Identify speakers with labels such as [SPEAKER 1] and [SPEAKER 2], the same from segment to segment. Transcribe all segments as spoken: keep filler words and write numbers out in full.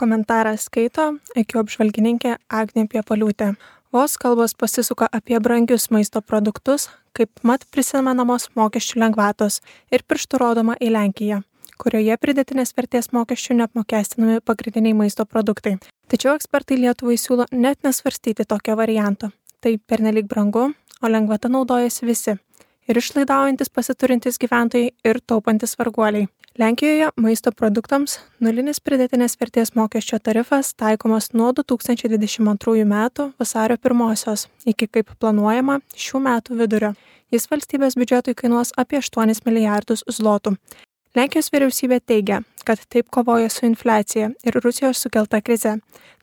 [SPEAKER 1] Komentarą skaito I Q apžvalgininkė Agnė Piepaliūtė. Vos kalbos pasisuka apie brangius maisto produktus, kaip mat prisimenamos mokesčių lengvatos ir pirštų rodoma į Lenkiją, kurioje pridėtinės vertės mokesčių neapmokestinami pagrindiniai maisto produktai. Tačiau ekspertai Lietuvai siūlo net nesvarstyti tokio varianto. Tai pernelyg brangu, o lengvata naudojasi visi. Ir išlaidaujantis pasiturintys gyventojai ir taupantis varguoliai. Lenkijoje maisto produktams nulinis pridėtinės vertės mokesčio tarifas taikomas nuo du tūkstančiai dvidešimt antrųjų metų vasario pirmosios iki kaip planuojama šių metų vidurio. Jis valstybės biudžetui kainuos apie aštuonis milijardus zlotų. Lenkijos vyriausybė teigia, kad taip kovoja su infliacija ir Rusijos sukelta krize.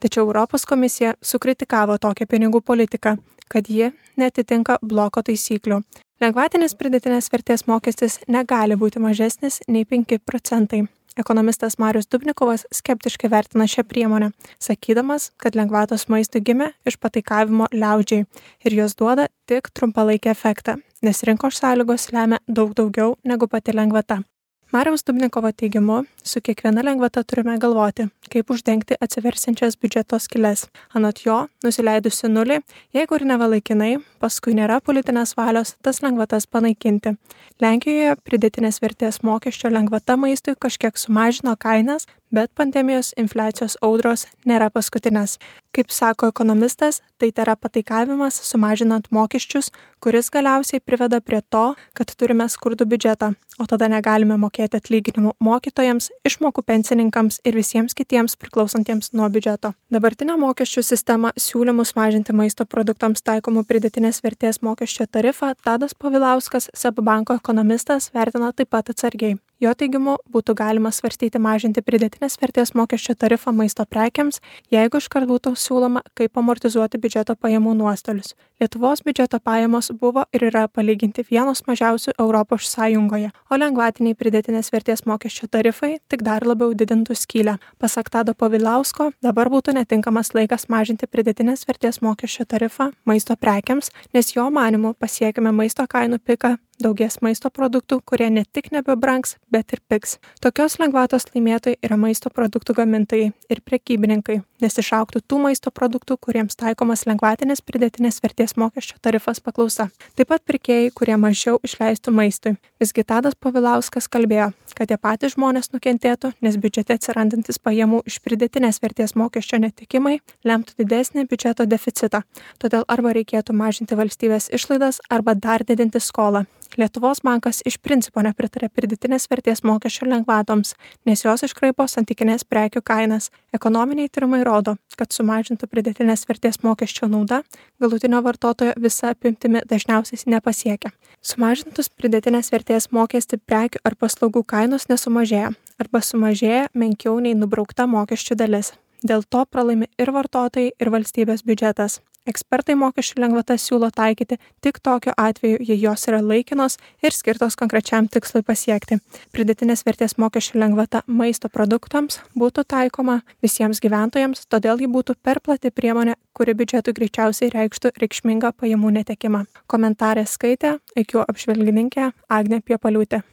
[SPEAKER 1] Tačiau Europos komisija sukritikavo tokią pinigų politiką, kad ji netitinka bloko taisyklių. Lengvatinis pridėtinės vertės mokestis negali būti mažesnis nei penki procentai. Ekonomistas Marius Dubnikovas skeptiškai vertina šią priemonę, sakydamas, kad lengvatos maistui gimė iš pataikavimo liaudžiai ir jos duoda tik trumpalaikį efektą, nes rinkos sąlygos lemia daug daugiau negu pati lengvata. Mariaus Dubnikovo teigimu, su kiekviena lengvata turime galvoti, kaip uždengti atsiversiančias biudžeto skyles. Anot jo, nusileidusi nulį, jeigu ir nevalaikinai, paskui nėra politinės valios tas lengvatas panaikinti. Lenkijoje pridėtinės vertės mokesčio lengvata maistui kažkiek sumažino kainas, bet pandemijos infliacijos audros nėra paskutinės. Kaip sako ekonomistas, tai tėra pataikavimas sumažinant mokesčius, kuris galiausiai priveda prie to, kad turime skurdų biudžetą, o tada negalime mokėti atlyginimų mokytojams, išmokų pensininkams ir visiems kitiems priklausantiems nuo biudžeto. Dabartinė mokesčių sistema siūlymus mažinti maisto produktams taikomų pridėtinės vertės mokesčio tarifą Tadas Povilauskas, SEB banko ekonomistas, vertina taip pat atsargiai. Jo teigimu, būtų galima svarstyti mažinti pridėtinės vertės mokesčio tarifą maisto prekiams, jeigu iškart būtų siūloma, kaip amortizuoti biudžeto pajamų nuostolius. Lietuvos biudžeto pajamos buvo ir yra palyginti vienos mažiausių Europos Sąjungoje, o lengvatiniai pridėtinės vertės mokesčio tarifai tik dar labiau didintų skylę. Pasak Tado Povilausko, dabar būtų netinkamas laikas mažinti pridėtinės vertės mokesčio tarifą maisto prekiams, nes jo manymu pasiekime maisto kainų piką, daugės maisto produktų, kurie ne tik nebebrangs, bet ir pigs. Tokios lengvatos laimėtojai yra maisto produktų gamintojai ir prekybininkai, nes išaugtų tų maisto produktų, kuriems taikomas lengvatinis pridėtinės vertės mokesčio tarifas paklausa. Taip pat pirkėjai, kurie mažiau išleistų maistui. Visgi Tadas Povilauskas kalbėjo, kad tie patys žmonės nukentėtų, nes biudžete atsirandantis pajamų iš pridėtinės vertės mokesčio netikimai lemtų didesnį biudžeto deficitą. Todėl arba reikėtų mažinti valstybės išlaidas, arba dar didinti skolą. Lietuvos bankas iš principo nepritarė pridėtinės vertės mokesčio lengvatoms, nes jos iškraipo santykinės prekių kainas. Ekonominiai tyrimai rodo, kad sumažintų pridėtinės vertės mokesčio nauda galutinio vartotojo visa apimtimi dažniausiai nepasiekia. Sumažintus pridėtinės vertės mokestį prekių ar paslaugų kainos nesumažėja, arba sumažėja menkiau nei nubraukta mokesčių dalis. Dėl to pralaimi ir vartotojai, ir valstybės biudžetas. Ekspertai mokesčių lengvatas siūlo taikyti tik tokiu atveju, jei jos yra laikinos ir skirtos konkrečiam tikslui pasiekti. Pridėtinės vertės mokesčių lengvata maisto produktams būtų taikoma visiems gyventojams, todėl ji būtų per plati priemonė, kuri biudžetui greičiausiai reikštų reikšmingą pajamų netekimą. Komentarą skaitė I Q apžvalgininkė Agnė Piepaliūtė.